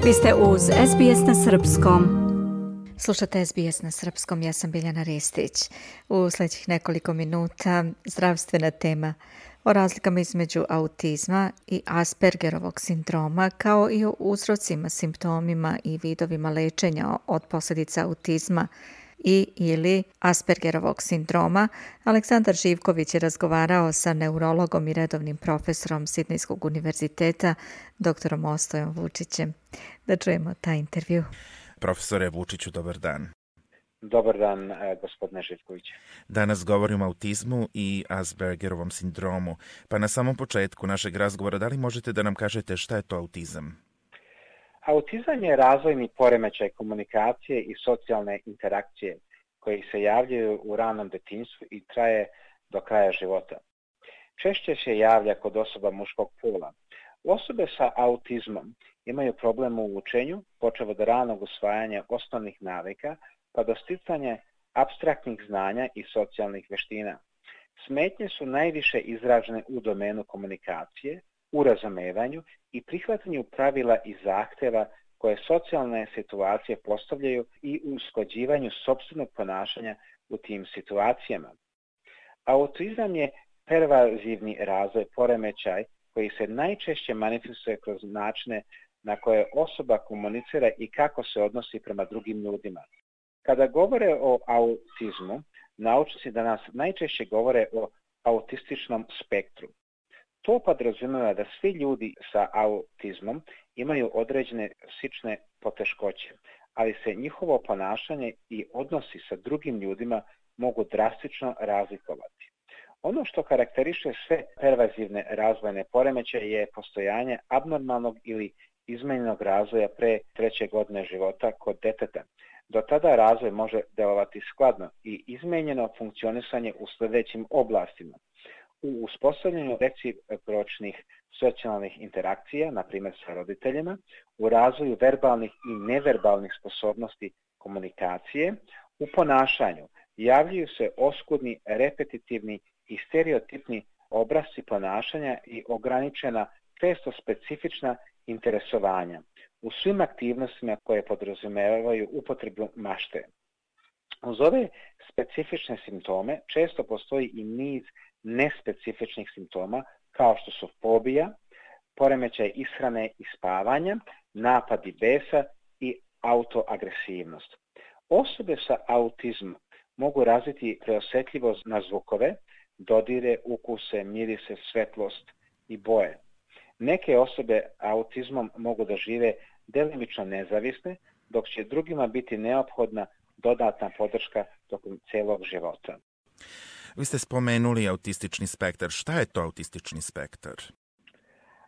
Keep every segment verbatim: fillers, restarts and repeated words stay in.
Vi ste uz S B S na Srpskom. Slušate S B S na Srpskom, ja sam Biljana Ristić. U sljedećih nekoliko minuta zdravstvena tema o razlikama između autizma i Aspergerovog sindroma, kao i o uzrocima, simptomima i vidovima lečenja od posljedica autizma i ili Aspergerovog sindroma. Aleksandar Živković je razgovarao sa neurologom i redovnim profesorom Sidnejskog univerziteta, doktorom Ostojom Vučićem. Da čujemo taj intervju. Profesore Vučiću, dobar dan. Dobar dan, gospodine Živković. Danas govorimo o autizmu i Aspergerovom sindromu. Pa na samom početku našeg razgovora, da li možete da nam kažete šta je to autizam? Autizam je razvojni poremećaj komunikacije i socijalne interakcije koji se javljaju u ranom detinjstvu i traje do kraja života. Češće se javlja kod osoba muškog pola. Osobe sa autizmom imaju problem u učenju, počev od ranog usvajanja osnovnih navika, pa do sticanja apstraktnih znanja i socijalnih vještina. Smetnje su najviše izražene u domenu komunikacije, u razumevanju i prihvatanju pravila i zahtjeva koje socijalne situacije postavljaju i u usklađivanju sopstvenog ponašanja u tim situacijama. Autizam je pervazivni razvoj poremećaj koji se najčešće manifestuje kroz načine na koje osoba komunicira i kako se odnosi prema drugim ljudima. Kada govore o autizmu, naučnici danas najčešće govore o autističnom spektru. To podrazumijeva da svi ljudi sa autizmom imaju određene psihične poteškoće, ali se njihovo ponašanje i odnosi sa drugim ljudima mogu drastično razlikovati. Ono što karakteriše sve pervazivne razvojne poremećaje je postojanje abnormalnog ili izmenjenog razvoja pre treće godine života kod deteta. Do tada razvoj može delovati skladno i izmenjeno funkcionisanje u sljedećim oblastima. U uspostavljanju recipročnih socijalnih interakcija, na primjer sa roditeljima, u razvoju verbalnih i neverbalnih sposobnosti komunikacije, u ponašanju javljaju se oskudni, repetitivni i stereotipni obrasci ponašanja i ograničena, često specifična interesovanja u svim aktivnostima koje podrazumijevaju upotrebu mašte. Uz ove specifične simptome često postoji i niz nespecifičnih simptoma kao što su fobija, poremećaj ishrane i spavanja, napadi besa i autoagresivnost. Osobe sa autizmom mogu razviti preosjetljivost na zvukove, dodire, ukuse, mirise, svetlost i boje. Neke osobe autizmom mogu da žive delimično nezavisne, dok će drugima biti neophodna dodatna podrška tokom celog života. Vi ste spomenuli autistični spektar. Šta je to autistični spektar?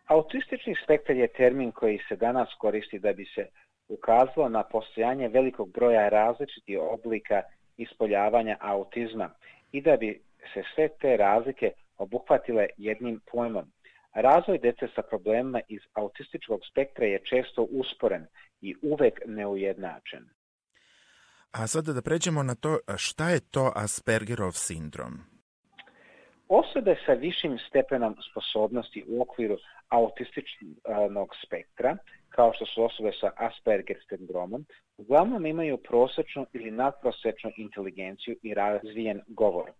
Autistični spektar je termin koji se danas koristi da bi se ukazalo na postojanje velikog broja različitih oblika ispoljavanja autizma i da bi se sve te razlike obuhvatile jednim pojmom. Razvoj dece sa problemima iz autističkog spektra je često usporen i uvek neujednačen. A sada da pređemo na to, šta je to Aspergerov sindrom? Osobe sa višim stepenom sposobnosti u okviru autističnog spektra, kao što su osobe sa Asperger sindromom, uglavnom imaju prosječnu ili nadprosječnu inteligenciju i razvijen govor.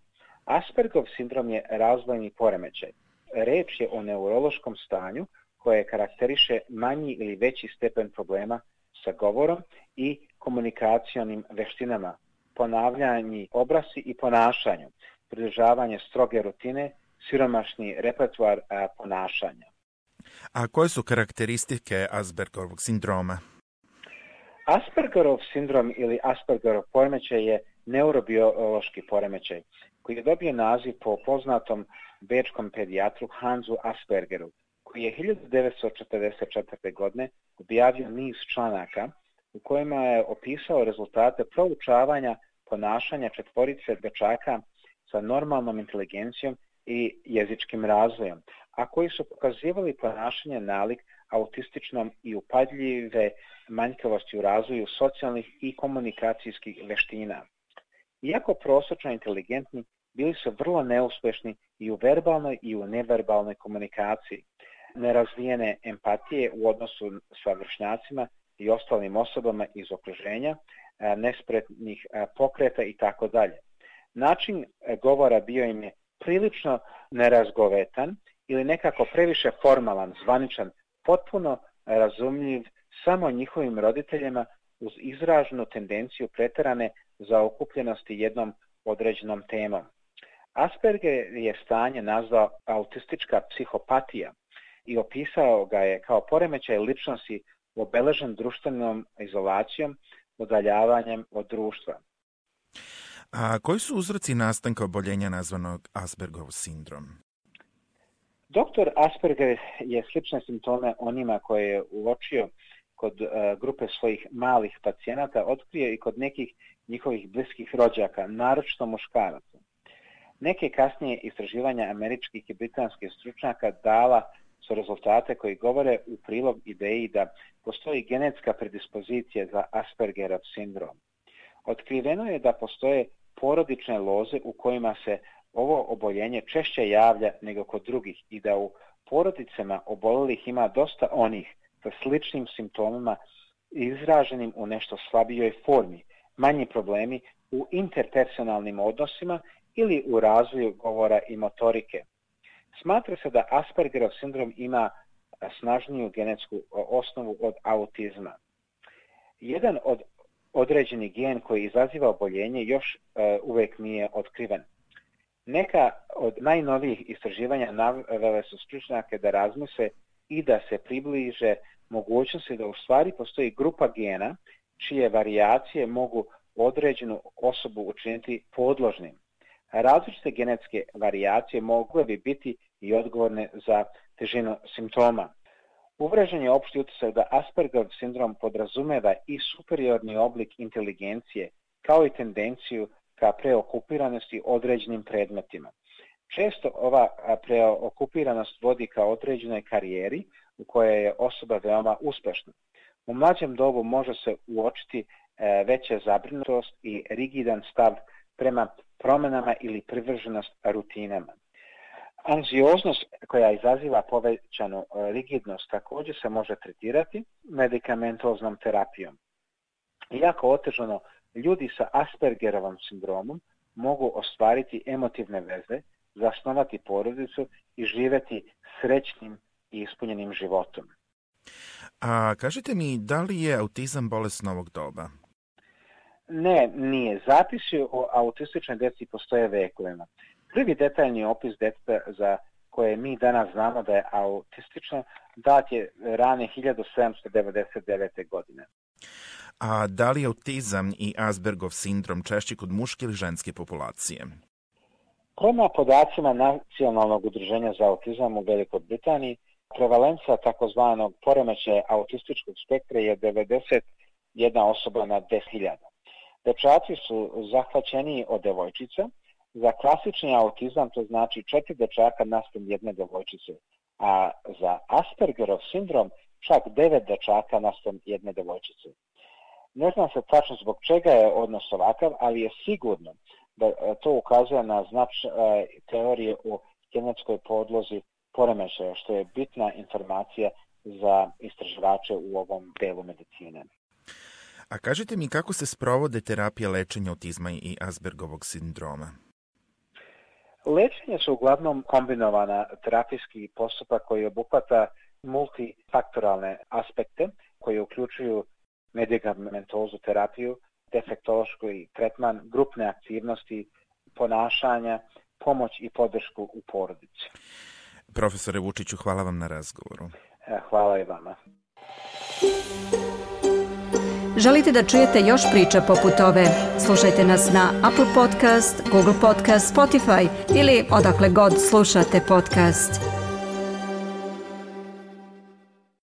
Aspergerov sindrom je razvojni poremećaj. Reč je o neurološkom stanju koje karakteriše manji ili veći stepen problema sa govorom i komunikacionim veštinama, ponavljanje obrasci i ponašanju, pridržavanje stroge rutine, siromašni repertoar ponašanja. A koje su karakteristike Aspergerovog sindroma? Aspergerov sindrom ili Aspergerov poremećaj je neurobiološki poremećaj koji je dobio naziv po poznatom bečkom pedijatru Hansu Aspergeru, koji je hiljadu devetsto četrdeset četvrte. godine objavio niz članaka u kojima je opisao rezultate proučavanja ponašanja četvorice dečaka sa normalnom inteligencijom i jezičkim razvojem, a koji su pokazivali ponašanje nalik autističnom i upadljive manjkavosti u razvoju socijalnih i komunikacijskih veština. Iako prosječno inteligentni, bili su vrlo neuspješni i u verbalnoj i u neverbalnoj komunikaciji. Nerazvijene empatije u odnosu sa vršnjacima i ostalim osobama iz okruženja, nespretnih pokreta i tako dalje. Način govora bio im je prilično nerazgovetan ili nekako previše formalan, zvaničan, potpuno razumljiv samo njihovim roditeljima uz izraženu tendenciju preterane zaokupljenosti jednom određenom temom. Asperger je stanje nazvao autistička psihopatija i opisao ga je kao poremećaj ličnosti obeležen društvenom izolacijom, udaljavanjem od društva. A koji su uzroci nastanka oboljenja nazvanog Aspergerov sindrom? Doktor Asperger je slične simptome onima koje je uočio kod uh, grupe svojih malih pacijenata otkrio i kod nekih njihovih bliskih rođaka, naročito muškaraca. Neke kasnije istraživanja američkih i britanskih stručnjaka dala su rezultate koji govore u prilog ideji da postoji genetska predispozicija za Aspergerov sindrom. Otkriveno je da postoje porodične loze u kojima se ovo oboljenje češće javlja nego kod drugih i da u porodicama obolelih ima dosta onih sa sličnim simptomima izraženim u nešto slabijoj formi, manji problemi u interpersonalnim odnosima ili u razvoju govora i motorike. Smatra se da Aspergerov sindrom ima snažniju genetsku osnovu od autizma. Jedan od određeni gen koji izaziva oboljenje još uh, uvijek nije otkriven. Neka od najnovijih istraživanja navele su stručnjake da razmisle i da se približe mogućnosti da u stvari postoji grupa gena čije varijacije mogu određenu osobu učiniti podložnim. Različite genetske varijacije mogle bi biti i odgovorne za težinu simptoma. Uvrežen je opšti utisak da Aspergerov sindrom podrazumeva i superiorni oblik inteligencije, kao i tendenciju ka preokupiranosti određenim predmetima. Često ova preokupiranost vodi ka određenoj karijeri u kojoj je osoba veoma uspešna. U mlađem dobu može se uočiti veća zabrinutost i rigidan stav prema promjenama ili privrženost rutinama. Anksioznost koja izaziva povećanu rigidnost također se može tretirati medikamentoznom terapijom. Iako otežano, ljudi sa Aspergerovom sindromom mogu ostvariti emotivne veze, zasnovati porodicu i živjeti srećnim i ispunjenim životom. A kažite mi, da li je autizam bolest novog doba? Ne, nije. Zapisi o autističnoj djeci postoje vekovima. Prvi detaljni opis djeteta za koje mi danas znamo da je autistično dat je rane hiljadu sedamsto devedeset devete. godine. A da li je autizam i Aspergerov sindrom češći kod muške ili ženske populacije? Prema podacima Nacionalnog udruženja za autizam u Velikoj Britaniji, prevalencija takozvanog poremećaja autističkog spektra je devedeset jedna osoba na deset hiljada. Dečaci su zahvaćeniji od devojčica. Za klasični autizam to znači četiri dečaka naspram jedne devojčice, a za Aspergerov sindrom čak devet dečaka naspram jedne devojčice. Ne zna se tačno zbog čega je odnos ovakav, ali je sigurno da to ukazuje na značaj teorije o genetskoj podlozi poremećaja, što je bitna informacija za istraživače u ovom delu medicine. A kažite mi kako se sprovode terapije lečenja autizma i Aspergerovog sindroma? Lečenje su uglavnom kombinovana terapijski postupak koji obuhvata multifaktoralne aspekte koji uključuju medikamentozu terapiju, defektološki tretman, grupne aktivnosti, ponašanja, pomoć i podršku u porodici. Profesore Vučiću, hvala vam na razgovoru. Hvala i vama. Želite da čujete još priča poput ove? Slušajte nas na Apple Podcast, Google Podcast, Spotify ili odakle god slušate podcast.